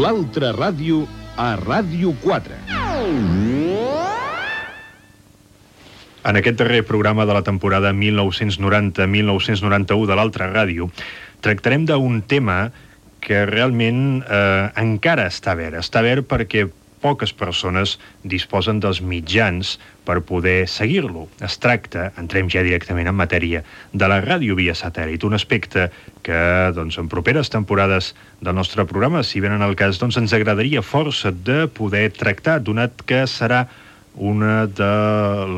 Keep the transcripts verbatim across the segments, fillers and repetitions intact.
L'altra ràdio a Ràdio quatre. En aquest darrer programa de la temporada mil nou-cents noranta mil nou-cents noranta-u de l'Altra Ràdio tractarem d'un tema que realment eh, encara està verd. Està verd perquè poques persones disposen dels mitjans per poder seguir-lo. Es tracta, entrem ja directament en matèria, de la ràdio via satèl·lit, un aspecte que doncs, en properes temporades del nostre programa, si venen al cas, doncs, ens agradaria força de poder tractar, donat que serà una de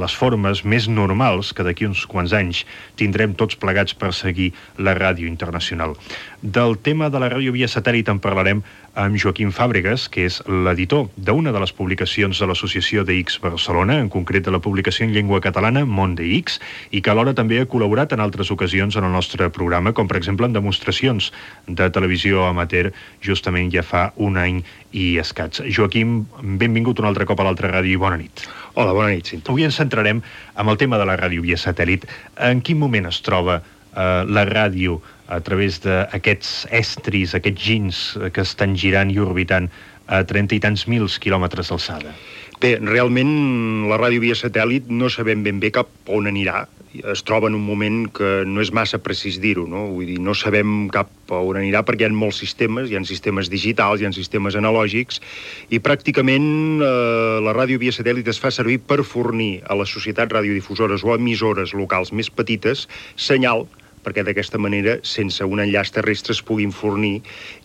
les formes més normals que d'aquí uns quants anys tindrem tots plegats per seguir la ràdio internacional. Del tema de la ràdio via satèl·lit en parlarem amb Joaquim Fàbregas, que és l'editor d'una de les publicacions de l'Associació de X Barcelona, en concret de la publicació en llengua catalana Món de X, i que alhora també ha col·laborat en altres ocasions en el nostre programa, com per exemple en demostracions de televisió amateur, justament ja fa un any i escaig. Joaquim, benvingut un altre cop a l'Altra Ràdio i bona nit. Hola, bona nit, Cinto. Avui ens centrarem amb el tema de la ràdio via satèl·lit. En quin moment es troba eh, la ràdio a través d'aquests estris, aquests gins que estan girant i orbitant a trenta i tants mils quilòmetres d'alçada? Bé, realment la ràdio via satèl·lit no sabem ben bé cap on anirà. Es troba en un moment que no és massa precís dir-ho, no? Vull dir, no sabem cap on anirà perquè hi ha molts sistemes, hi ha sistemes digitals, hi ha sistemes analògics, i pràcticament eh, la ràdio via satèl·lit es fa servir per fornir a les societats radiodifusores o emissores locals més petites senyal, perquè d'aquesta manera, sense un enllaç terrestre, es puguin fornir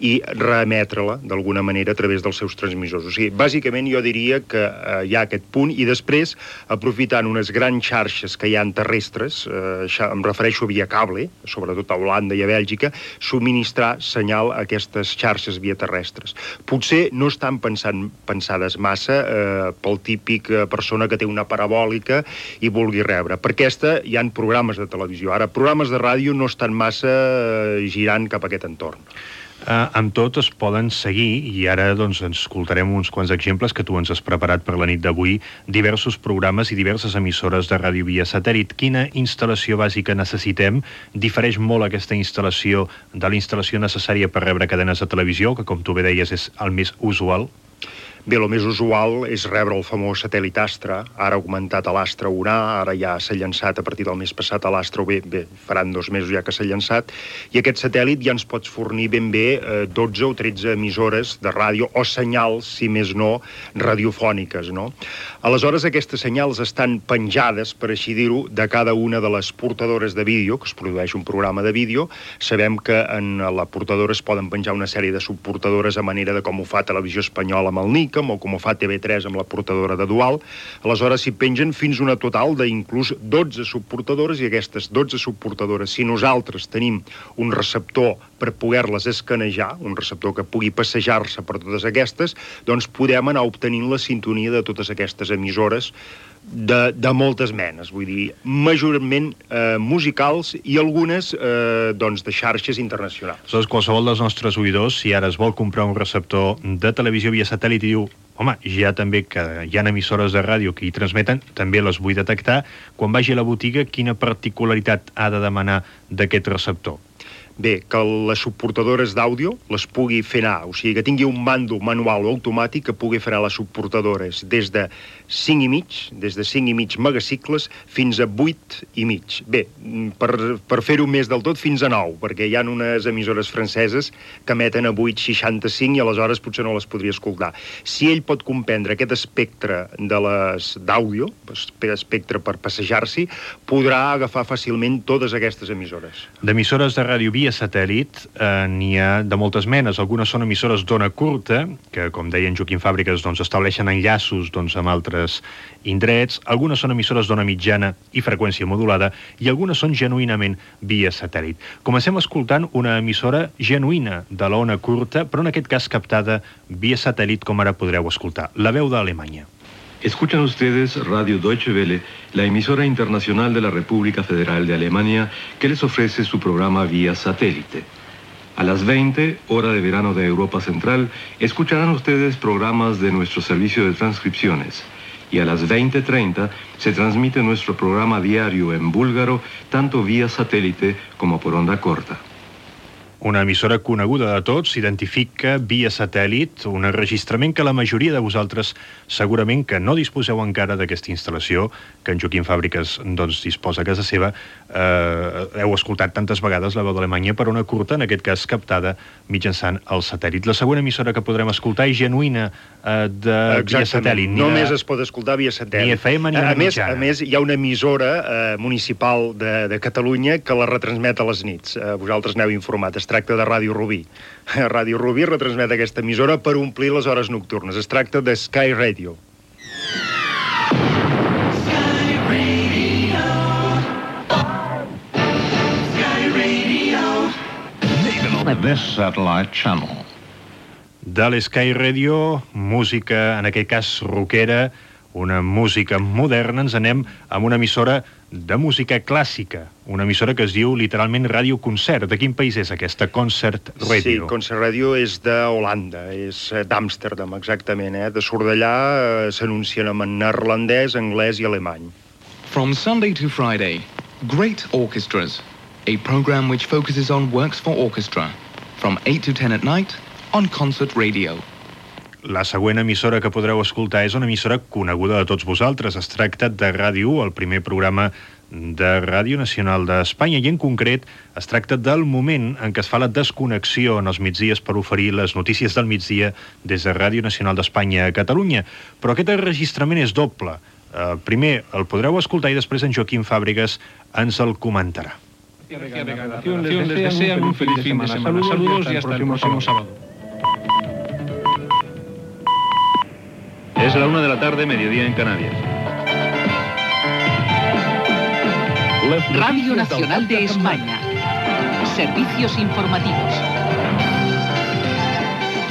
i reemetre-la d'alguna manera a través dels seus transmissors. O sigui, bàsicament jo diria que eh, hi ha aquest punt, i després, aprofitant unes grans xarxes que hi ha terrestres, eh, em refereixo via cable, sobretot a Holanda i a Bèlgica, subministrar senyal a aquestes xarxes via terrestres. Potser no estan pensant, pensades massa eh, pel típic persona que té una parabòlica i vulgui rebre. Per aquesta hi ha programes de televisió. Ara, programes de ràdio no estan massa girant cap a aquest entorn. Uh, amb tot es poden seguir, i ara doncs, ens escoltarem uns quants exemples que tu ens has preparat per la nit d'avui, diversos programes i diverses emissores de ràdio via satèl·lit. Quina instal·lació bàsica necessitem? Difereix molt aquesta instal·lació de la instal·lació necessària per rebre cadenes de televisió, que com tu bé deies és el més usual? Bé, el més usual és rebre el famós satèl·lit Astra, ara augmentat a l'Astra un A, ara ja s'ha llançat a partir del mes passat a l'Astra, o bé, bé, faran dos mesos ja que s'ha llançat, i aquest satèl·lit ja ens pots fornir ben bé eh, dotze o tretze emissores de ràdio, o senyals, si més no, radiofòniques, no? Aleshores, aquestes senyals estan penjades, per així dir-ho, de cada una de les portadores de vídeo, que es produeix un programa de vídeo. Sabem que en la portadora es poden penjar una sèrie de subportadores a manera de com ho fa Televisió Espanyola amb el N I C, o com ho fa T V tres amb la portadora de Dual. Aleshores s'hi pengen fins una total d'inclús dotze subportadores, i aquestes dotze subportadores, si nosaltres tenim un receptor per poder-les escanejar, un receptor que pugui passejar-se per totes aquestes, doncs podem anar obtenint la sintonia de totes aquestes emissores de, de moltes menes, vull dir, majorment eh, musicals i algunes eh, doncs de xarxes internacionals. Aleshores, qualsevol dels nostres oïdors, si ara es vol comprar un receptor de televisió via satèl·lit i diu, home, ja també que hi ha emissores de ràdio que hi transmeten, també les vull detectar, quan vagi a la botiga, quina particularitat ha de demanar d'aquest receptor? Bé, que les subportadores d'àudio les pugui fer anar, o sigui, que tingui un mando manual o automàtic que pugui fer anar les subportadores des de cinc i mig, des de cinc i mig megacicles fins a vuit i mig. Bé, per, per fer-ho més del tot fins a nou, perquè hi ha unes emissores franceses que emeten a vuit coma seixanta-cinc i aleshores potser no les podria escoltar. Si ell pot comprendre aquest espectre de les d'àudio, espectre per passejar-s'hi, podrà agafar fàcilment totes aquestes emissores. D'emissores de ràdio via via satèl·lit eh, n'hi ha de moltes menes. Algunes són emissores d'ona curta, que, com deia en Joaquim Fàbregas, doncs, estableixen enllaços doncs, amb altres indrets. Algunes són emissores d'ona mitjana i freqüència modulada, i algunes són genuïnament via satèl·lit. Comencem escoltant una emissora genuïna de l'ona curta, però en aquest cas captada via satèl·lit, com ara podreu escoltar. La veu d'Alemanya. Escuchan ustedes Radio Deutsche Welle, la emisora internacional de la República Federal de Alemania, que les ofrece su programa vía satélite. A las veinte, hora de verano de Europa Central, escucharán ustedes programas de nuestro servicio de transcripciones. Y a las veinte treinta se transmite nuestro programa diario en búlgaro, tanto vía satélite como por onda corta. Una emissora coneguda de tots, s'identifica via satèl·lit, un enregistrament que la majoria de vosaltres segurament que no disposeu encara d'aquesta instal·lació, que en Joaquim Fàbriques doncs, disposa a casa seva. Eh, heu escoltat tantes vegades la veu d'Alemanya per una curta, en aquest cas captada mitjançant el satèl·lit. La següent emissora que podrem escoltar és genuïna eh, de via satèl·lit. Només de... es pot escoltar via satèl·lit. Ni F M ni a, una més, mitjana. a més, hi ha una emissora eh, municipal de, de Catalunya que la retransmet a les nits. Eh, vosaltres n'heu informat. Es tracta de Ràdio Rubí. Ràdio Rubí retransmet aquesta emissora per omplir les hores nocturnes. Es tracta de Sky Radio. Sky Radio. Sky Radio. This satellite channel. De l'Sky Radio, música, en aquest cas rockera, una música moderna, ens anem amb una emissora de música clàssica, una emissora que es diu literalment Ràdio Concert. De quin país és aquesta Concert Radio? Sí, Concert Radio és d'Holanda, és d'Amsterdam, exactament. Eh? De surt d'allà, eh, s'anuncien en neerlandès, anglès i alemany. From Sunday to Friday, Great Orchestras, a program which focuses on works for orchestra, from eight to ten at night on Concert Radio. La següent emissora que podreu escoltar és una emissora coneguda de tots vosaltres. Es tracta de Ràdio u, el primer programa de Ràdio Nacional d'Espanya, i en concret es tracta del moment en què es fa la desconnexió en els migdies per oferir les notícies del migdia des de Ràdio Nacional d'Espanya a Catalunya. Però aquest enregistrament és doble. Uh, primer el podreu escoltar i després en Joaquim Fàbriques ens el comentarà. Les desean un feliz fin de semana. Saludos y hasta el próximo sábado. Es la una de la tarde, mediodía en Canarias. Radio Nacional de España. Servicios informativos.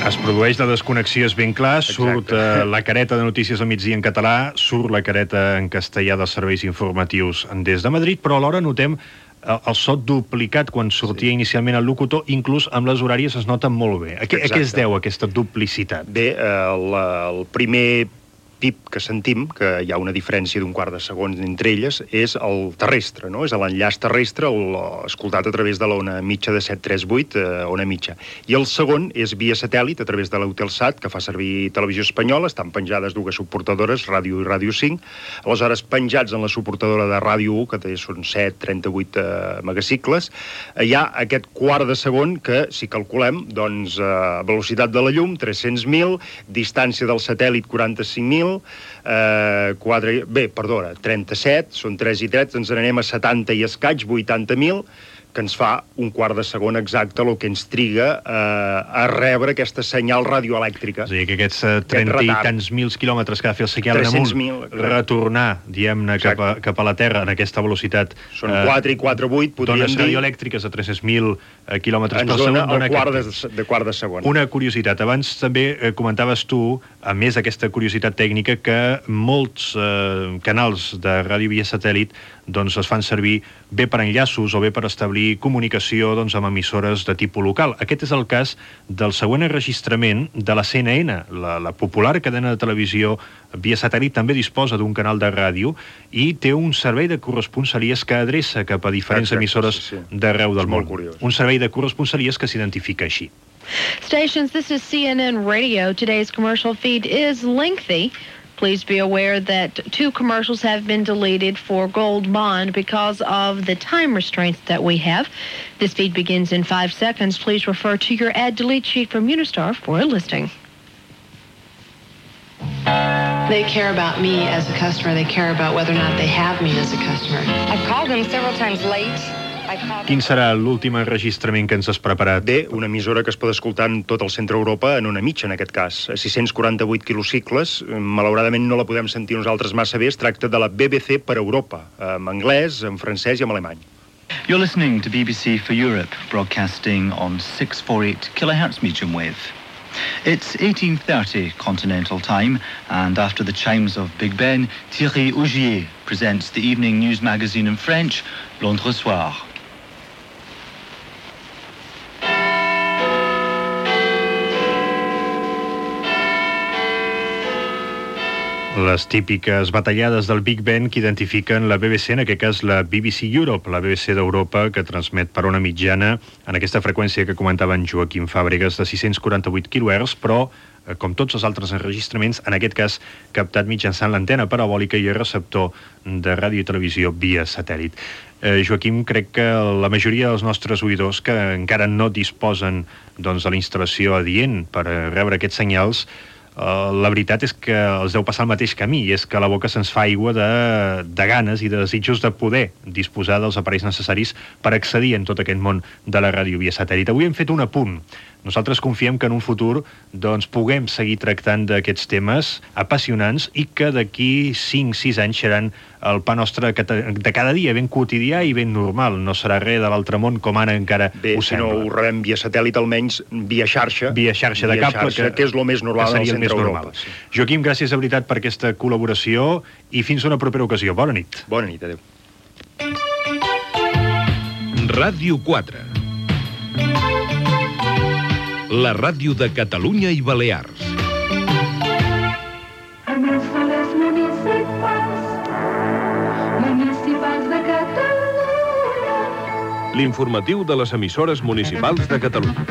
Es produeix la desconnexió, és ben clar, surt uh, la careta de notícies al migdia en català, surt la careta en castellà dels serveis informatius des de Madrid, però alhora notem el so duplicat quan sortia sí. inicialment el locutor, inclús amb les horàries es nota molt bé. A què, a què es deu aquesta duplicitat? Bé, el, el primer pip que sentim, que hi ha una diferència d'un quart de segon entre elles, és el terrestre, no? És l'enllaç terrestre, el, escoltat a través de l'ona mitja de set tres vuit, eh, ona mitja. I el segon és via satèl·lit, a través de l'Eutelsat, que fa servir Televisió Espanyola, estan penjades dues suportadores, Ràdio i Ràdio cinc, aleshores penjats en la suportadora de Ràdio u, que té, són set coma trenta-vuit eh, megacicles, eh, hi ha aquest quart de segon que, si calculem, doncs, eh, velocitat de la llum, tres-cents mil, distància del satèl·lit, quaranta-cinc mil, Eh, quatre, bé, perdona, trenta-set, són tres i tres, ens n'anem a setanta i escaig, vuitanta mil, que ens fa un quart de segon exacte el que ens triga eh, a rebre aquesta senyal radioelèctrica. És a dir, que aquests uh, trenta i tants mils quilòmetres que ha de fer el senyal en amunt, retornar, diguem-ne, cap, a, cap a la Terra en aquesta velocitat... Són quatre i quatre coma vuit, podríem dir... Dones radioelèctriques a tres-cents mil uh, quilòmetres per segon. Ens dona el quart de, de quart de segon. Una curiositat. Abans també eh, comentaves tu, a més d'aquesta curiositat tècnica, que molts eh, canals de ràdio via satèl·lit doncs es fan servir bé per enllaços o bé per establir comunicació doncs, amb emissores de tipus local. Aquest és el cas del següent enregistrament de la C N N. La, la popular cadena de televisió via satèl·lit també disposa d'un canal de ràdio i té un servei de corresponsalies que adreça cap a diferents Exacte, emissores sí, sí. d'arreu del món. Curiós. Un servei de corresponsalies que s'identifica així. Stations, this is C N N Radio. Today's commercial feed is lengthy. Please be aware that two commercials have been deleted for Gold Bond because of the time restraints that we have. This feed begins in five seconds. Please refer to your ad delete sheet from Unistar for a listing. They care about me as a customer. They care about whether or not they have me as a customer. I've called them several times late. Quin serà l'últim enregistrament que ens has preparat? Bé, una emissora que es pot escoltar en tot el centre d'Europa en una mitja, en aquest cas. A sis-cents quaranta-vuit quilocicles. Malauradament no la podem sentir nosaltres massa bé. Es tracta de la B B C per Europa, en anglès, en francès i en alemany. You're listening to B B C for Europe, broadcasting on six forty-eight kilohertz medium wave. It's eighteen thirty continental time, and after the chimes of Big Ben, Thierry Augier presents the evening news magazine in French, Londres Soir. Les típiques batallades del Big Ben que identifiquen la B B C, en aquest cas la B B C Europe, la B B C d'Europa, que transmet per una mitjana en aquesta freqüència que comentava en Joaquim Fàbregas de sis-cents quaranta-vuit quilohertz, però, com tots els altres enregistraments, en aquest cas captat mitjançant l'antena parabòlica i el receptor de ràdio i televisió via satèl·lit. Eh, Joaquim, crec que la majoria dels nostres oïdors que encara no disposen doncs, de la instal·lació adient per rebre aquests senyals, Uh, la veritat és que els deu passar el mateix camí, i és que a la boca se'ns fa aigua de, de ganes i de desitjos de poder disposar dels aparells necessaris per accedir en tot aquest món de la ràdio via satèl·lit. Avui hem fet un apunt. Nosaltres confiem que en un futur doncs, puguem seguir tractant d'aquests temes apassionants i que d'aquí cinc sis anys seran el pa nostre de cada dia, ben quotidià i ben normal. No serà res de l'altre món com ara encara Bé, ho si sembla. no ho rebem via satèl·lit, almenys via xarxa. Via xarxa de via cable, xarxa, que, que és el més normal que en el seria el centre més Europa. normal. Sí. Joaquim, gràcies de veritat per aquesta col·laboració i fins a una propera ocasió. Bona nit. Bona nit, adéu. Ràdio quatre. La ràdio de Catalunya i Balears. Emissores municipals, municipals de Catalunya. L'informatiu de les emissores municipals de Catalunya.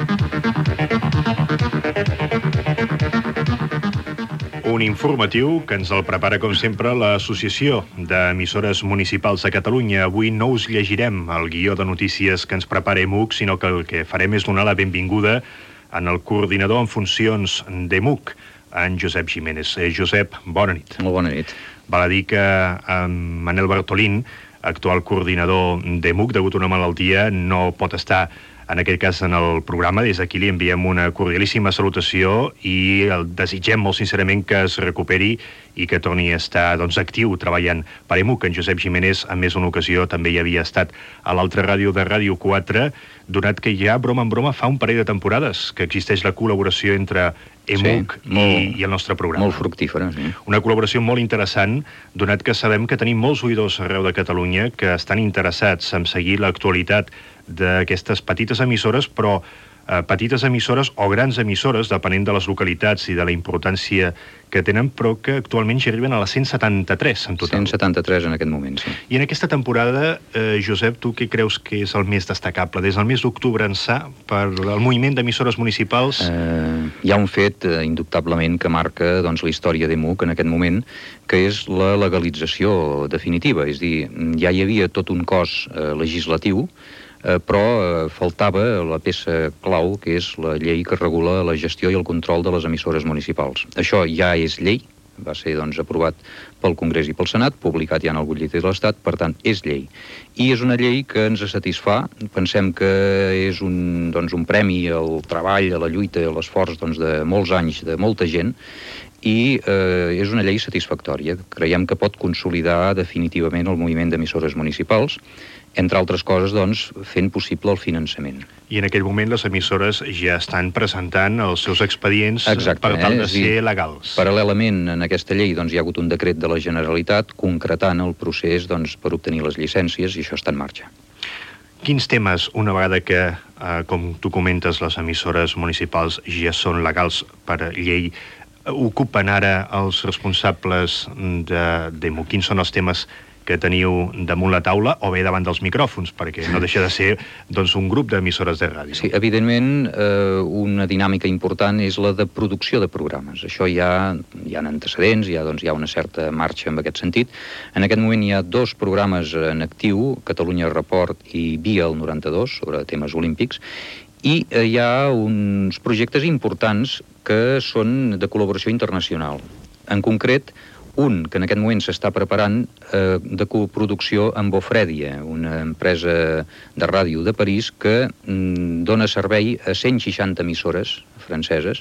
Un informatiu que ens el prepara, com sempre, l'Associació d'Emissores Municipals de Catalunya. Avui no us llegirem el guió de notícies que ens prepara E M U C, sinó que el que farem és donar la benvinguda en el coordinador en funcions d'E M U C, en Josep Jiménez. Eh, Josep, bona nit. Molt bona nit. Val a dir que en Manel Bartolín, actual coordinador d'E M U C, degut a una malaltia, no pot estar en aquest cas en el programa. Des d'aquí li enviem una cordialíssima salutació i el desitgem molt sincerament que es recuperi i que torni a estar doncs, actiu treballant per E M U C. En Josep Jiménez, en més d'una ocasió, també hi havia estat a l'altra ràdio de Ràdio quatre, donat que ja, broma en broma, fa un parell de temporades que existeix la col·laboració entre E M U C sí, molt, i, i el nostre programa. Molt fructífera, sí. Una col·laboració molt interessant, donat que sabem que tenim molts oïdors arreu de Catalunya que estan interessats en seguir l'actualitat d'aquestes petites emissores, però eh, petites emissores o grans emissores, depenent de les localitats i de la importància que tenen, però que actualment ja arriben a les cent setanta-tres en total. cent setanta-tres en aquest moment, sí. I en aquesta temporada, eh, Josep, tu què creus que és el més destacable? Des del mes d'octubre ençà, per el moviment d'emissores municipals? Eh, hi ha un fet, eh, indubtablement, que marca doncs, la història d'E M U C en aquest moment, que és la legalització definitiva. És a dir, ja hi havia tot un cos eh, legislatiu, Eh, però eh, faltava la peça clau, que és la llei que regula la gestió i el control de les emissores municipals. Això ja és llei, va ser doncs, aprovat pel Congrés i pel Senat, publicat ja en el butlletí de l'Estat, per tant, és llei. I és una llei que ens satisfà, pensem que és un, doncs, un premi al treball, a la lluita, a l'esforç doncs, de molts anys, de molta gent, i eh, és una llei satisfactòria. Creiem que pot consolidar definitivament el moviment d'emissores municipals, entre altres coses, doncs, fent possible el finançament. I en aquell moment les emissores ja estan presentant els seus expedients Exacte, per tal eh? de ser legals. Paral·lelament, en aquesta llei doncs, hi ha hagut un decret de la Generalitat concretant el procés doncs, per obtenir les llicències, i això està en marxa. Quins temes, una vegada que, eh, com tu comentes, les emissores municipals ja són legals per llei, ocupen ara els responsables d'E M U C? Quins són els temes que teniu damunt la taula o bé davant dels micròfons, perquè no deixa de ser doncs, un grup d'emissores de ràdio? Sí, evidentment, eh, una dinàmica important és la de producció de programes. Això ja hi ha antecedents, hi ha, doncs, hi ha una certa marxa en aquest sentit. En aquest moment hi ha dos programes en actiu, Catalunya Report i Via el noranta-dos, sobre temes olímpics, i eh, hi ha uns projectes importants que són de col·laboració internacional. En concret, un que en aquest moment s'està preparant eh, de coproducció amb Ofredia, una empresa de ràdio de París que mm, dona servei a cent seixanta emissores franceses,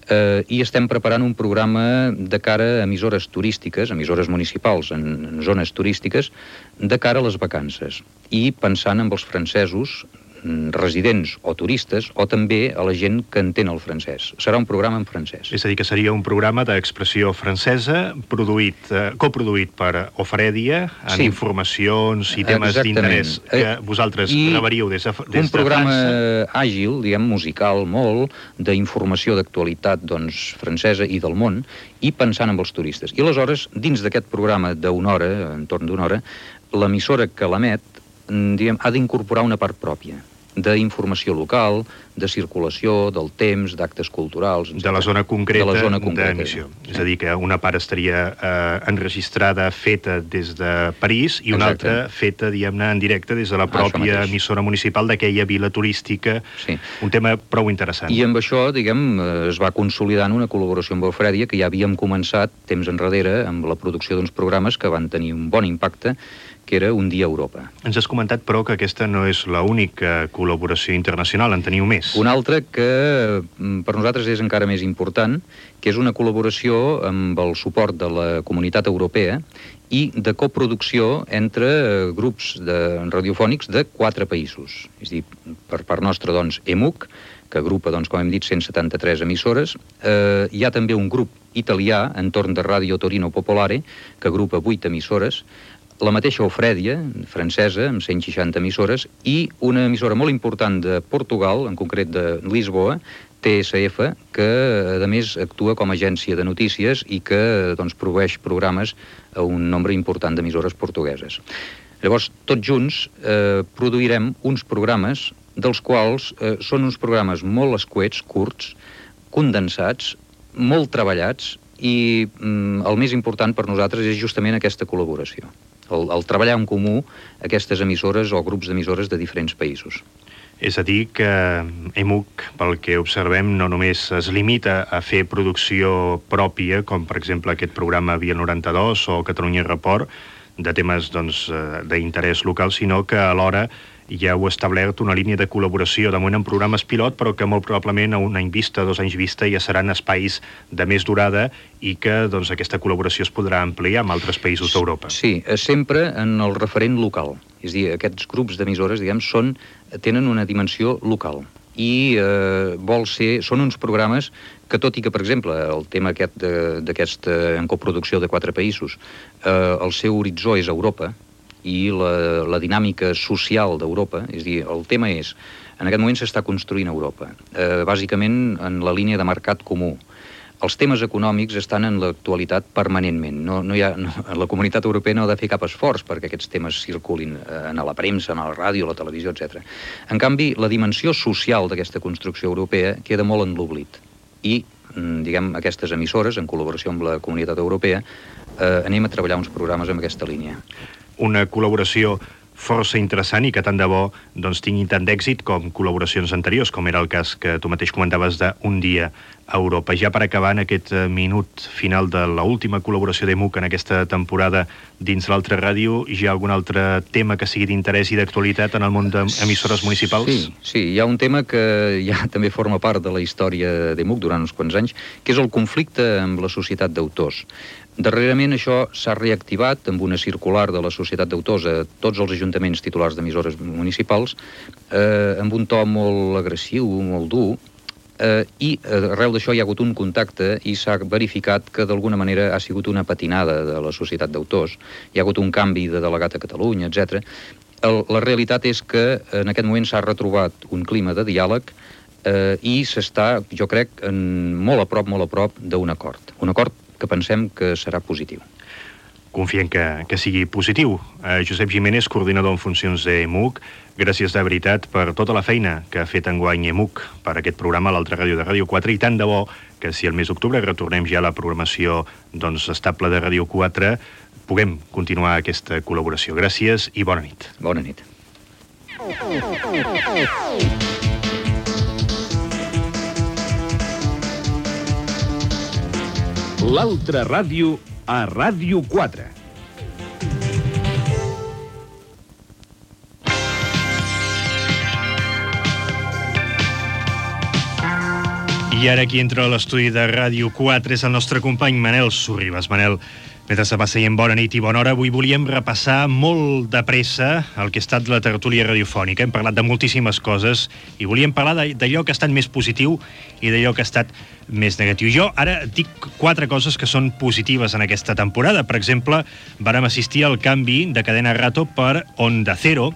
eh, i estem preparant un programa de cara a emissores turístiques, emissores municipals en, en zones turístiques, de cara a les vacances. I pensant en els francesos, residents o turistes, o també a la gent que entén el francès. Serà un programa en francès. És a dir, que seria un programa d'expressió francesa produït, eh, coproduït per Ofrèdia, amb sí. informacions i temes d'interès que eh, vosaltres I reberiu des de, des un programa de França. àgil, diguem, musical, molt, d'informació d'actualitat, doncs, francesa i del món, i pensant en els turistes. I aleshores, dins d'aquest programa d'una hora, entorn d'una hora, l'emissora que l'emet, diguem, ha d'incorporar una part pròpia d'informació local, de circulació, del temps, d'actes culturals... De la zona concreta d'emissió. És a dir, que una part estaria eh, enregistrada, feta des de París, i una Exacte. altra feta, diguem-ne, en directe des de la pròpia emissora municipal d'aquella vila turística. Sí. Un tema prou interessant. I amb això, diguem, es va consolidant una col·laboració amb Ofrèdia, que ja havíem començat temps enrere amb la producció d'uns programes que van tenir un bon impacte, que era Un dia a Europa. Ens has comentat, però, que aquesta no és l'única col·laboració internacional, en teniu més. Una altra que per nosaltres és encara més important, que és una col·laboració amb el suport de la Comunitat Europea i de coproducció entre grups de radiofònics de quatre països. És a dir, per part nostra, doncs, E M U C, que agrupa, doncs, com hem dit, cent setanta-tres emissores. Eh, hi ha també un grup italià, entorn de Radio Torino Popolare, que agrupa vuit emissores, la mateixa Ofrèdia, francesa, amb cent seixanta emissores, i una emissora molt important de Portugal, en concret de Lisboa, T S F, que a més actua com a agència de notícies i que doncs, proveeix programes a un nombre important d'emissores portugueses. Llavors, tots junts eh, produirem uns programes dels quals eh, són uns programes molt escuets, curts, condensats, molt treballats, i mm, el més important per nosaltres és justament aquesta col·laboració. El, el treballar en comú aquestes emissores o grups d'emissores de diferents països. És a dir, que E M U C, pel que observem, no només es limita a fer producció pròpia, com per exemple aquest programa Via noranta-dos o Catalunya Report, de temes doncs, d'interès local, sinó que alhora ja heu establert una línia de col·laboració, de moment en programes pilot, però que molt probablement a un any vista, dos anys vista, ja seran espais de més durada i que doncs, aquesta col·laboració es podrà ampliar amb altres països d'Europa. Sí, sempre en el referent local. És a dir, aquests grups d'emissores, diguem, són, tenen una dimensió local i eh, vol ser, són uns programes que, tot i que, per exemple, el tema aquest d'aquesta en coproducció de quatre països, eh, el seu horitzó és Europa, i la, la dinàmica social d'Europa, és a dir, el tema és, en aquest moment s'està construint Europa, eh, bàsicament en la línia de mercat comú. Els temes econòmics estan en l'actualitat permanentment. No, no hi ha, no, la Comunitat Europea no ha de fer cap esforç perquè aquests temes circulin eh, a la premsa, a la ràdio, a la televisió, etcètera. En canvi, la dimensió social d'aquesta construcció europea queda molt en l'oblit. I, diguem, aquestes emissores, en col·laboració amb la Comunitat Europea, eh, anem a treballar uns programes amb aquesta línia. Una col·laboració força interessant i que tant de bo doncs, tingui tant d'èxit com col·laboracions anteriors, com era el cas que tu mateix comentaves d'Un dia a Europa. Ja per acabar, en aquest minut final de l'última col·laboració d'E M U C en aquesta temporada dins l'altra ràdio, hi ha algun altre tema que sigui d'interès i d'actualitat en el món d'emissores municipals? Sí, sí, hi ha un tema que ja també forma part de la història d'E M U C durant uns quants anys, que és el conflicte amb la societat d'autors. Darrerament això s'ha reactivat amb una circular de la Societat d'Autors a tots els ajuntaments titulars d'emissores municipals, eh, amb un to molt agressiu, molt dur, eh, i arrel d'això hi ha hagut un contacte i s'ha verificat que d'alguna manera ha sigut una patinada de la Societat d'Autors. Hi ha hagut un canvi de delegat a Catalunya, etcètera. El, la realitat és que en aquest moment s'ha retrobat un clima de diàleg eh, i s'està, jo crec, en, molt a prop, molt a prop d'un acord. Un acord que pensem que serà positiu. Confiem que, que sigui positiu. Eh, Josep Jiménez, coordinador en funcions d'E M U C, gràcies de veritat per tota la feina que ha fet enguany E M U C per aquest programa a l'altra ràdio de Ràdio quatre, i tant de bo que si el mes d'octubre retornem ja a la programació doncs, estable de Ràdio quatre, puguem continuar aquesta col·laboració. Gràcies i bona nit. Bona nit. L'altra ràdio a Ràdio quatre. I ara qui entra a l'estudi de Ràdio quatre és el nostre company Manel Sorribas. Manel, Mentre se va seient bona nit i bona hora, avui volíem repassar molt de pressa el que ha estat la tertúlia radiofònica. Hem parlat de moltíssimes coses i volíem parlar d'allò que ha estat més positiu i d'allò que ha estat més negatiu. Jo ara dic quatre coses que són positives en aquesta temporada. Per exemple, vàrem assistir al canvi de cadena Rato per Onda Cero.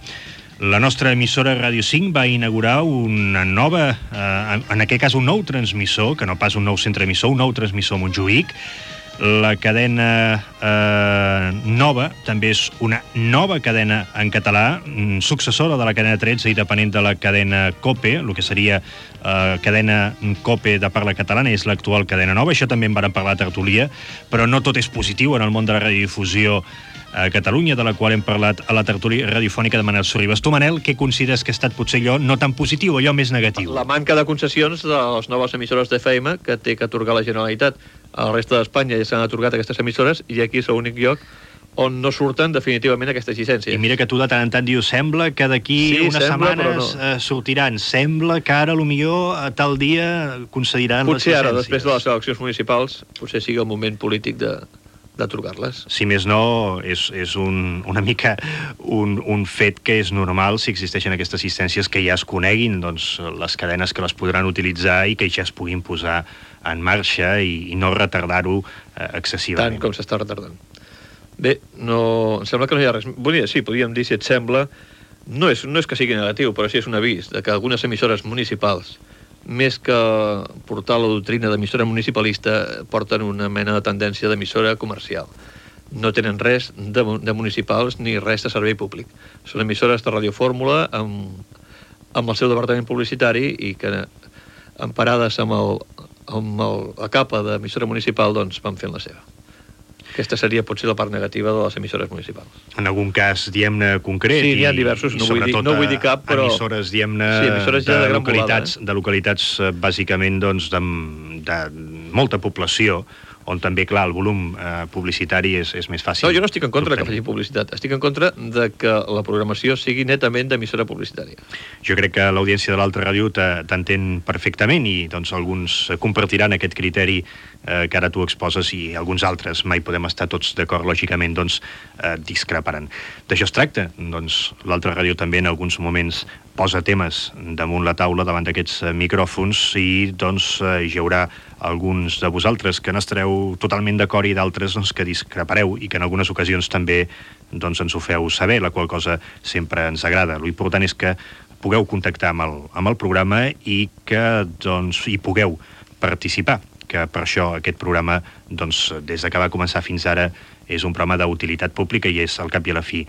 La nostra emissora Ràdio cinc va inaugurar una nova, eh, en aquest cas un nou transmissor, que no pas un nou centre emissor, un nou transmissor a Montjuïc. La cadena eh, nova també és una nova cadena en català, successora de la cadena tretze i depenent de la cadena COPE, el que seria eh, cadena COPE de parla catalana, és l'actual cadena nova. Això també en vàrem parlar a tertúlia, però no tot és positiu en el món de la radiodifusió a Catalunya, de la qual hem parlat a la tertúlia radiofònica de Manel Sorribas. Tu, Manel, què consideres que ha estat potser allò no tan positiu, allò més negatiu? La manca de concessions de les noves emissores d'F M que té que atorgar la Generalitat. A la resta d'Espanya ja s'han atorgat aquestes emissores i aquí és l'únic lloc on no surten definitivament aquestes llicències. I mira que tu de tant en tant dius, sembla que d'aquí sí, unes sembla, setmanes no. eh, sortiran, sembla que ara potser a tal dia concediran potser les llicències. Potser ara, després de les eleccions municipals, potser sigui el moment polític de d'atorgar-les. Si més no, és, és un, una mica un, un fet que és normal si existeixen aquestes assistències que ja es coneguin, doncs, les cadenes que les podran utilitzar i que ja es puguin posar en marxa i, i no retardar-ho eh, excessivament. Tant com s'està retardant. Bé, no, em sembla que no hi ha res... Bon dia, sí, podríem dir, si et sembla, no és, no és que sigui negatiu, però sí és un avís de que algunes emissores municipals, més que portar la doctrina d'emissora municipalista, porten una mena de tendència d'emissora comercial. No tenen res de, de municipals ni res de servei públic. Són emissores de radiofórmula amb, amb el seu departament publicitari i que, emparades amb, el, amb el, la capa d'emissora municipal, doncs van fent la seva. Aquesta seria potser la part negativa de les emissores municipals. En algun cas, diem-ne, concret. Sí, n'hi ha diversos, no, vull dir, no vull dir cap, però... emissores, diem-ne, sí, emissores ja de, de localitats, volada, eh? de localitats, bàsicament, doncs, de, de molta població, on també, clar, el volum eh, publicitari és, és més fàcil. No, jo no estic en contra que facin publicitat. Estic en contra de que la programació sigui netament d'emissora publicitària. Jo crec que l'audiència de l'altra ràdio t'entén perfectament i doncs alguns compartiran aquest criteri eh, que ara tu exposes i alguns altres, mai podem estar tots d'acord, lògicament, doncs eh, discreparan. D'això es tracta. Doncs l'altra ràdio també en alguns moments posa temes damunt la taula davant d'aquests micròfons i doncs hi haurà alguns de vosaltres que n'estareu totalment d'acord i d'altres doncs, que discrepareu i que en algunes ocasions també doncs, ens ho feu saber, la qual cosa sempre ens agrada. L'important és que pugueu contactar amb el, amb el programa i que doncs, hi pugueu participar, que per això aquest programa, doncs, des de que va començar fins ara, és un programa d'utilitat pública i és, al cap i a la fi,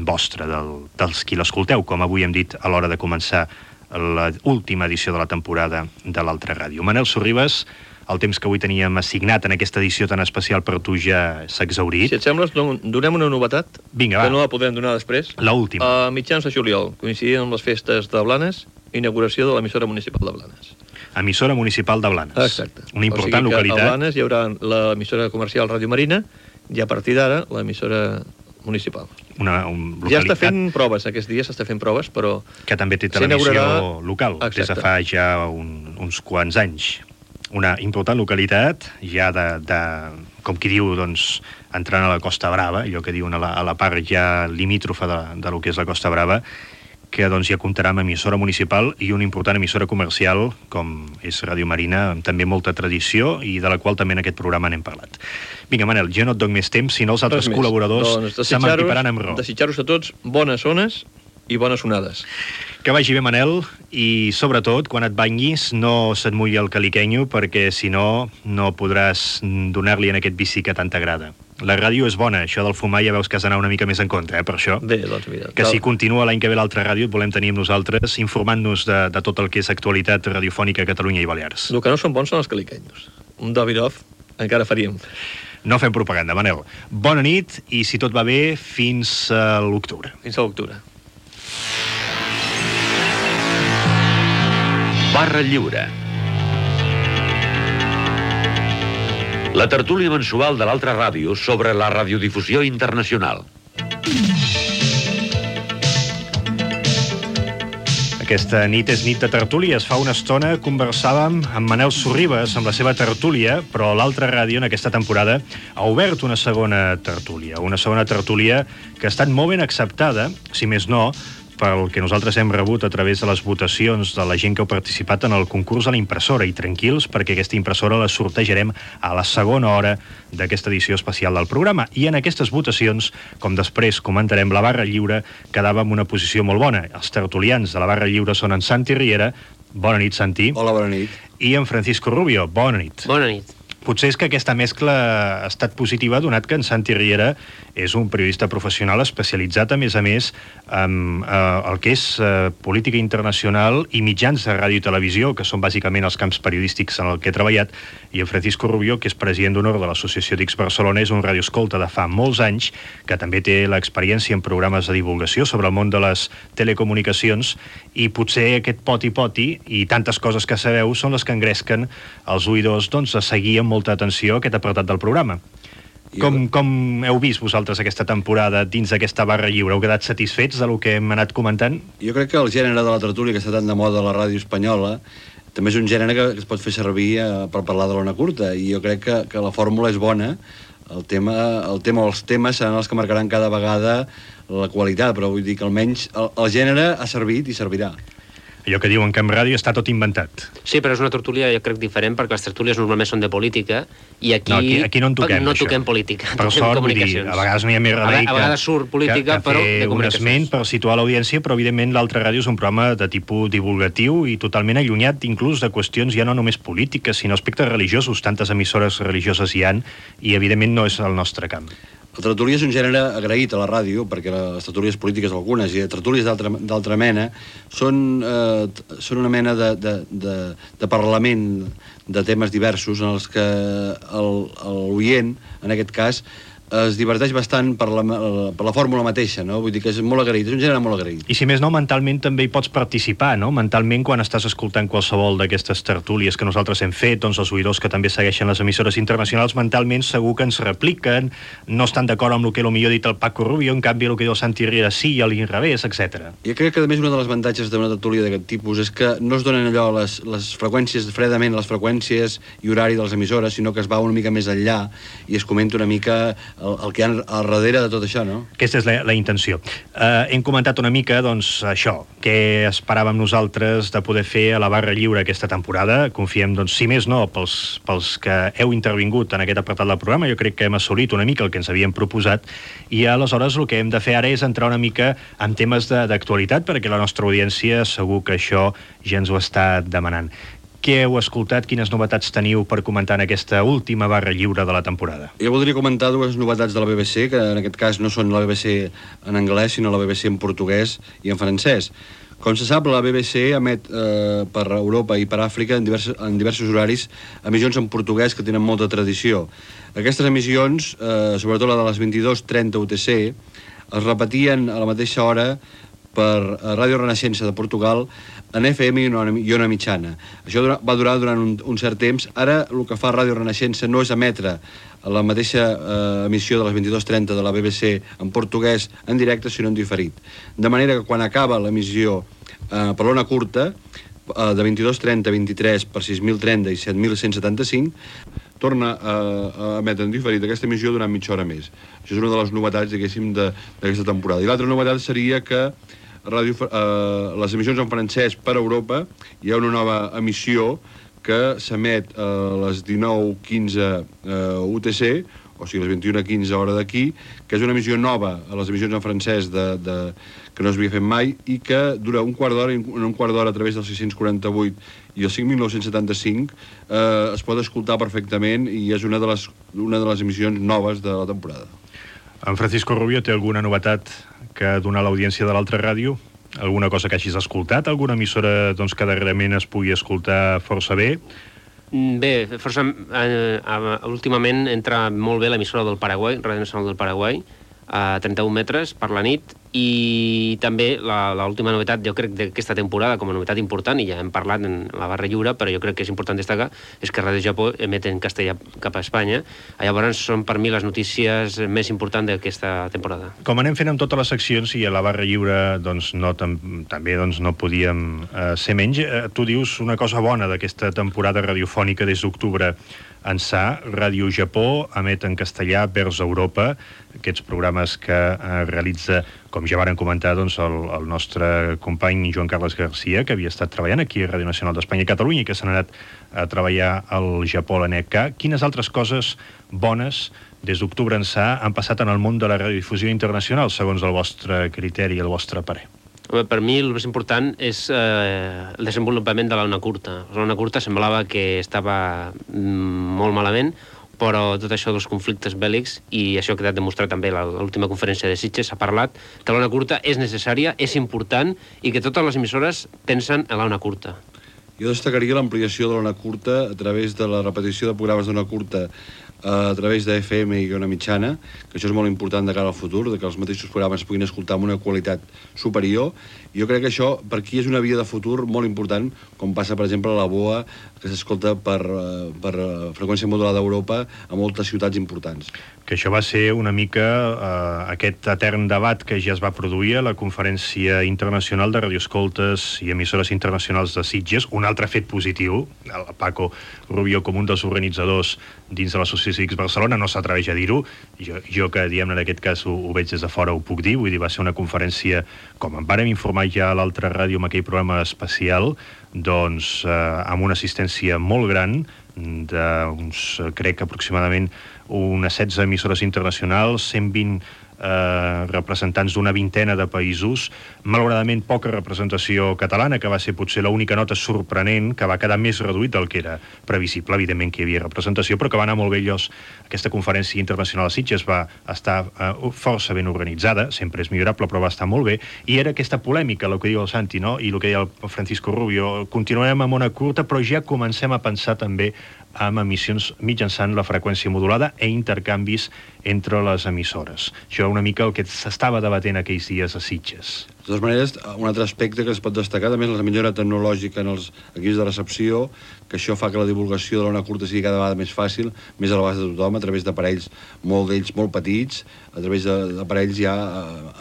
vostre, del, dels qui l'escolteu, com avui hem dit a l'hora de començar l'última edició de la temporada de l'altra ràdio. Manel Sorribas, el temps que avui teníem assignat en aquesta edició tan especial per tu ja s'ha exhaurit. Si et sembla, donem una novetat. Vinga, va. Que no la podrem donar després. L'última. A mitjans de juliol, coincidint amb les festes de Blanes, inauguració de l'emissora municipal de Blanes. Emissora municipal de Blanes. Exacte. Una important o sigui localitat. A Blanes hi haurà l'emissora comercial Ràdio Marina i a partir d'ara l'emissora municipal. Una un localitat... Ja està fent proves, aquests dies s'està fent proves, però... Que també té televisió inaugurarà... local, Exacte. Des de fa ja un, uns quants anys. Una important localitat, ja de, de com qui diu, doncs, entrant a la Costa Brava, allò que diuen a la, a la part ja limítrofa de, de lo que és la Costa Brava, que doncs ja comptarà amb emissora municipal i una important emissora comercial, com és Ràdio Marina, amb també molta tradició i de la qual també en aquest programa n'hem parlat. Vinga, Manel, jo no et dono més temps, sinó els altres col·laboradors doncs, s'ementiparan amb raó. Desitjar-vos a tots bones zones i bones onades. Que vagi bé, Manel, i sobretot, quan et banyis, no se't mulli el caliquenyo, perquè si no, no podràs donar-li en aquest bici que tant t'agrada. La ràdio és bona, això del fumar ja veus que has d'anar una mica més en contra, eh, per això. Bé, doncs mira. Que si continua l'any que ve l'altra ràdio, et volem tenir amb nosaltres, informant-nos de, de tot el que és actualitat radiofònica a Catalunya i Balears. El que no són bons són els caliquenyos. Un Davidoff encara faríem. No fem propaganda, Manel. Bona nit i, si tot va bé, fins a l'octubre. Fins a l'octubre. Barra Lliure. La tertúlia mensual de l'altra ràdio sobre la radiodifusió internacional. Aquesta nit és nit de tertúlies. Fa una estona conversàvem amb Manel Sorribes, amb la seva tertúlia, però l'altra ràdio en aquesta temporada ha obert una segona tertúlia. Una segona tertúlia que ha estat molt ben acceptada, si més no, pel que nosaltres hem rebut a través de les votacions de la gent que heu participat en el concurs a la impressora. I tranquils, perquè aquesta impressora la sortejarem a la segona hora d'aquesta edició especial del programa. I en aquestes votacions, com després comentarem, la barra lliure quedava en una posició molt bona. Els tertulians de la barra lliure són en Santi Riera. Bona nit, Santi. Hola, bona nit. I en Francisco Rubio. Bona nit. Bona nit. Potser és que aquesta mescla ha estat positiva, donat que en Santi Riera és un periodista professional especialitzat, a més a més, en eh, el que és eh, política internacional i mitjans de ràdio i televisió, que són bàsicament els camps periodístics en el que he treballat, i en Francisco Rubio, que és president d'honor de l'Associació d'X Barcelona, és un radioescolta de fa molts anys, que també té l'experiència en programes de divulgació sobre el món de les telecomunicacions, i potser aquest poti-poti i tantes coses que sabeu són les que engresquen els oïdors doncs, a seguir amb molta atenció aquest apartat del programa. Com, com heu vist vosaltres aquesta temporada dins d'aquesta barra lliure? Heu quedat satisfets del que hem anat comentant? Jo crec que el gènere de la tertúlia, que està tan de moda a la ràdio espanyola, també és un gènere que, que es pot fer servir eh, per parlar de l'ona curta, i jo crec que, que la fórmula és bona. El tema, el tema o els temes seran els que marcaran cada vegada la qualitat, però vull dir que almenys el, el gènere ha servit i servirà. Allò que diuen que en ràdio està tot inventat. Sí, però és una tertúlia, jo crec, diferent, perquè les tertúlies normalment són de política, i aquí no, aquí, aquí no en toquem, no això. toquem política, per toquem sort, comunicacions. Vull dir, a vegades no hi ha més remei que, a vegades surt política, que, que però de un esment per situar l'audiència, però evidentment l'altra ràdio és un programa de tipus divulgatiu i totalment allunyat inclús de qüestions ja no només polítiques, sinó aspectes religiosos. Tantes emissores religioses hi han i evidentment no és el nostre camp. La tertúlia és un gènere agraït a la ràdio, perquè les tertúlies polítiques algunes i tertúlies d'altra mena són, eh, són una mena de, de, de, de parlament de temes diversos en els que l'oient, en aquest cas, es diverteix bastant per la, per la fórmula mateixa, no? Vull dir que és molt agraït, és un gènere molt agraït. I si més no, mentalment també hi pots participar, no? Mentalment, quan estàs escoltant qualsevol d'aquestes tertúlies que nosaltres hem fet, doncs els oïdors que també segueixen les emissores internacionals, mentalment segur que ens repliquen, no estan d'acord amb el que potser ha dit el Paco Rubio, en canvi el que diu el Santi Riera sí, i a l'inrevés, etcètera. Jo crec que, a més, una de les avantatges d'una tertúlia d'aquest tipus és que no es donen allò les, les freqüències, fredament les freqüències i horari de les emissores, sinó que es va una mica més enllà i es comenta una mica el, el que hi ha al darrere de tot això, no? Aquesta és la, la intenció. Uh, hem comentat una mica, doncs, això, què esperàvem nosaltres de poder fer a la barra lliure aquesta temporada. Confiem, doncs, si més no, pels, pels que heu intervingut en aquest apartat del programa, jo crec que hem assolit una mica el que ens havíem proposat, i aleshores el que hem de fer ara és entrar una mica en temes d'actualitat, perquè la nostra audiència segur que això ja ens ho està demanant. Què heu escoltat? Quines novetats teniu per comentar en aquesta última barra lliure de la temporada? Jo voldria comentar dues novetats de la B B C, que en aquest cas no són la B B C en anglès, sinó la B B C en portuguès i en francès. Com se sap, la B B C emet eh, per Europa i per Àfrica en diversos, en diversos horaris emissions en portuguès que tenen molta tradició. Aquestes emissions, eh, sobretot la de les vint-i-dues trenta U T C, es repetien a la mateixa hora per Ràdio Renaixença de Portugal en F M i una, i una mitjana. Això va durar durant un, un cert temps. Ara el que fa Ràdio Renaixença no és emetre la mateixa eh, emissió de les vint-i-dues trenta de la B B C en portuguès en directe, sinó en diferit. De manera que quan acaba l'emissió eh, per l'ona curta, eh, de vint-i-dues trenta a vint-i-tres per sis mil trenta i set mil cent setanta-cinc, torna a, a emetre en diferit aquesta emissió durant mitja hora més. Això és una de les novetats, diguéssim, d'aquesta temporada. I l'altra novetat seria que ràdio, eh, les emissions en francès per Europa, hi ha una nova emissió que s'emet a les dinou quinze eh, U T C, o sigui, les vint-i-una quinze hora d'aquí, que és una emissió nova a les emissions en francès de, de, que no s'havia fet mai i que dura un quart d'hora, un quart d'hora a través del sis-cents quaranta-vuit i el cinc mil nou-cents setanta-cinc, eh, es pot escoltar perfectament i és una de les, una de les emissions noves de la temporada. En Francisco Rubio té alguna novetat que donar a l'audiència de l'altra ràdio? Alguna cosa que hagis escoltat? Alguna emissora doncs, que darrerament es pugui escoltar força bé? Bé, força, eh, últimament entra molt bé l'emissora del Paraguai, Ràdio Nacional del Paraguai, a trenta-un metres per la nit, i també l'última novetat, jo crec, d'aquesta temporada, com a novetat important, i ja hem parlat en la barra lliure, però jo crec que és important destacar, és que Ràdio Japó emet en castellà cap a Espanya. Llavors són per mi les notícies més importants d'aquesta temporada. Com anem fent amb totes les seccions, i a la barra lliure doncs, no, tam també doncs, no podíem eh, ser menys, eh, tu dius una cosa bona d'aquesta temporada radiofònica des d'octubre ençà. Ràdio Japó emet en castellà vers Europa, aquests programes que eh, realitza, com ja varen comentar, doncs, el, el nostre company Joan Carles Garcia, que havia estat treballant aquí a Ràdio Nacional d'Espanya i Catalunya i que s'ha anat a treballar al Japó, a l'A N E C K. Quines altres coses bones des d'octubre ençà han passat en el món de la radiodifusió internacional, segons el vostre criteri i el vostre parer? Per mi el més important és eh, el desenvolupament de l'ona curta. L'ona curta semblava que estava molt malament, però tot això dels conflictes bèl·lics, i això ha quedat demostrat també a l'última conferència de Sitges, s'ha parlat que l'ona curta és necessària, és important, i que totes les emissores pensen en l'ona curta. Jo destacaria l'ampliació de l'ona curta a través de la repetició de programes d'ona curta a través de F M i ona mitjana, que això és molt important de cara al futur, de que els mateixos programes puguin escoltar amb una qualitat superior. I jo crec que això per aquí és una via de futur molt important, com passa, per exemple, a la B O A, que s'escolta per, per freqüència modulada d'Europa a moltes ciutats importants. Que això va ser una mica eh, aquest etern debat que ja es va produir a la Conferència Internacional de Radioescoltes i Emissores Internacionals de Sitges, un altre fet positiu. El Paco Rubio, com un dels organitzadors dins de l'associació X Barcelona, no s'atreveix a dir-ho. Jo, jo que, diguem, en aquest cas ho, ho veig des de fora, ho puc dir. Vull dir, va ser una conferència, com en vàrem informar ja a l'altra ràdio amb aquell programa especial, doncs eh, amb una assistència molt gran d'uns, crec, aproximadament unes setze emissores internacionals, cent vint eh, representants d'una vintena de països, malauradament poca representació catalana, que va ser potser l'única nota sorprenent, que va quedar més reduït del que era previsible. Evidentment que hi havia representació, però que va anar molt bé llos. Aquesta conferència internacional a Sitges va estar eh, força ben organitzada, sempre és millorable, però va estar molt bé, i era aquesta polèmica, el que diu el Santi, no? I el que deia el Francisco Rubio, continuem amb ona curta, però ja comencem a pensar també amb emissions mitjançant la freqüència modulada e intercanvis entre les emissores. Això era una mica el que s'estava debatent aquells dies a Sitges. De totes maneres, un altre aspecte que es pot destacar també és la millora tecnològica en els equips de recepció, que això fa que la divulgació de l'ona curta sigui cada vegada més fàcil, més a l'abast de tothom, a través d'aparells molt d'ells molt petits, a través d'aparells ja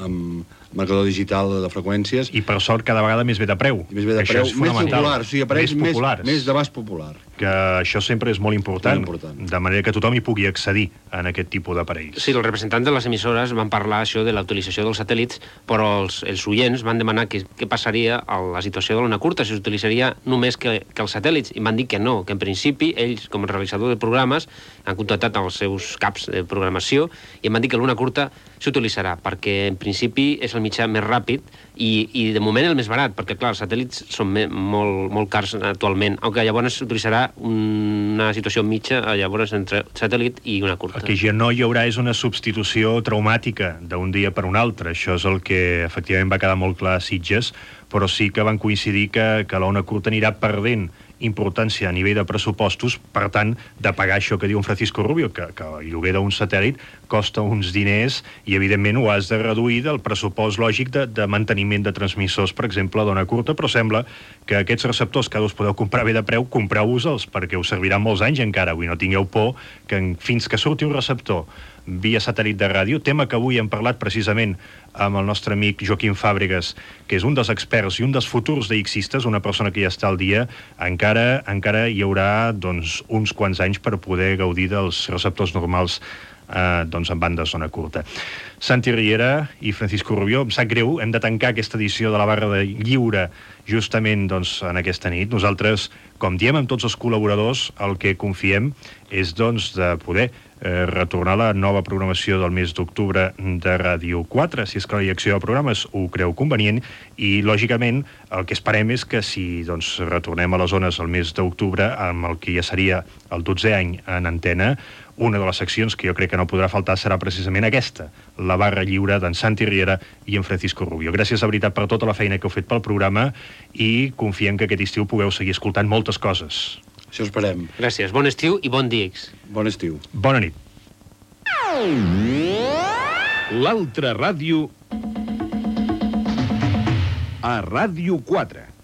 amb marcador digital de freqüències. I per sort cada vegada més bé de preu. I més bé de preu, més popular, o sigui, aparells més, més, més d'abast popular. Que això sempre és molt important, molt important, de manera que tothom hi pugui accedir en aquest tipus d'aparells. Sí, els representants de les emissores van parlar això de la utilització dels satèl·lits, però els, els oients van demanar què, què passaria a la situació de l'ona curta, si s'utilitzaria només que, que els satèl·lits, i van dir que no, que en principi ells, com a realitzador de programes, han contactat els seus caps de programació i em van dir que l'ona curta s'utilitzarà, perquè en principi és el mitjà més ràpid i, i de moment el més barat, perquè clar, els satèl·lits són me, molt, molt cars actualment, aunque llavors s'utilitzarà una situació mitja llavors entre satèl·lit i una curta. El que ja no hi haurà és una substitució traumàtica d'un dia per un altre. Això és el que efectivament va quedar molt clar a Sitges, però sí que van coincidir que, que l'ona curta anirà perdent importància a nivell de pressupostos, per tant, de pagar això que diu un Francisco Rubio, que, que el lloguer d'un satèl·lit costa uns diners i, evidentment, ho has de reduir del pressupost lògic de, de manteniment de transmissors, per exemple, d'ona curta, però sembla que aquests receptors que us podeu comprar bé de preu, compreu-vos-els, perquè us serviran molts anys encara. Avui no tingueu por que fins que surti un receptor via satèl·lit de ràdio, tema que avui hem parlat precisament amb el nostre amic Joaquim Fàbregas, que és un dels experts i un dels futurs d'Ixistes, una persona que ja està al dia, encara encara hi haurà doncs, uns quants anys per poder gaudir dels receptors normals eh, doncs, en banda zona curta. Santi Riera i Francisco Rubio, em sap greu, hem de tancar aquesta edició de la barra de lliure justament doncs, en aquesta nit. Nosaltres, com diem amb tots els col·laboradors, el que confiem és doncs, de poder eh, retornar la nova programació del mes d'octubre de Ràdio quatre, si és que la direcció de programes ho creu convenient, i lògicament el que esperem és que si doncs, retornem a les zones el mes d'octubre, amb el que ja seria el dotzè any en antena, una de les seccions que jo crec que no podrà faltar serà precisament aquesta, la barra lliure d'en Santi Riera i en Francisco Rubio. Gràcies de veritat per tota la feina que heu fet pel programa i confiem que aquest estiu pugueu seguir escoltant moltes coses. Això esperem. Gràcies. Bon estiu i bon dia. Bon estiu. Bona nit. L'altra ràdio a Ràdio quatre.